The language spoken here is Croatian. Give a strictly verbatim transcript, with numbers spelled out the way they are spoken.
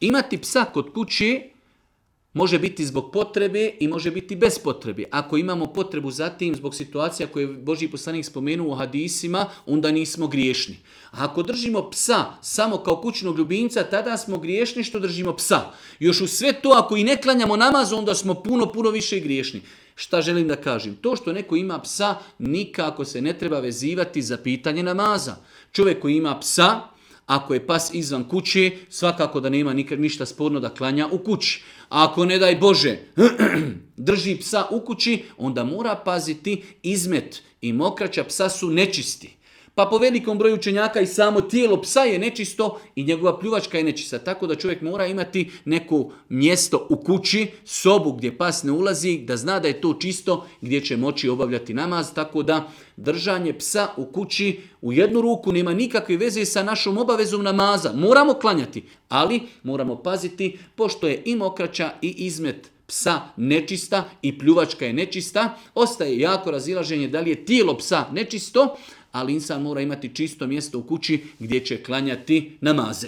Imati psa kod kuće može biti zbog potrebe i može biti bez potrebe. Ako imamo potrebu za tim zbog situacija koje je Božji poslanik spomenuo u hadisima, onda nismo griješni. A ako držimo psa samo kao kućnog ljubimca, tada smo griješni što držimo psa. Još u sve to, ako i ne klanjamo namaz, onda smo puno, puno više griješni. Šta želim da kažem? To što neko ima psa, nikako se ne treba vezivati za pitanje namaza. Čovjek koji ima psa, ako je pas izvan kuće, svakako da nema nikad ništa sporno da klanja u kući. A ako, ne daj Bože, drži psa u kući, onda mora paziti izmet i mokraća psa su nečisti. Pa po velikom broju učenjaka i samo tijelo psa je nečisto i njegova pljuvačka je nečista. Tako da čovjek mora imati neko mjesto u kući, sobu gdje pas ne ulazi, da zna da je to čisto, gdje će moći obavljati namaz. Tako da držanje psa u kući u jednu ruku nema nikakve veze sa našom obavezom namaza. Moramo klanjati, ali moramo paziti, pošto je i mokraća i izmet psa nečista i pljuvačka je nečista, ostaje jako razilaženje da li je tijelo psa nečisto, ali insan mora imati čisto mjesto u kući gdje će klanjati namaze.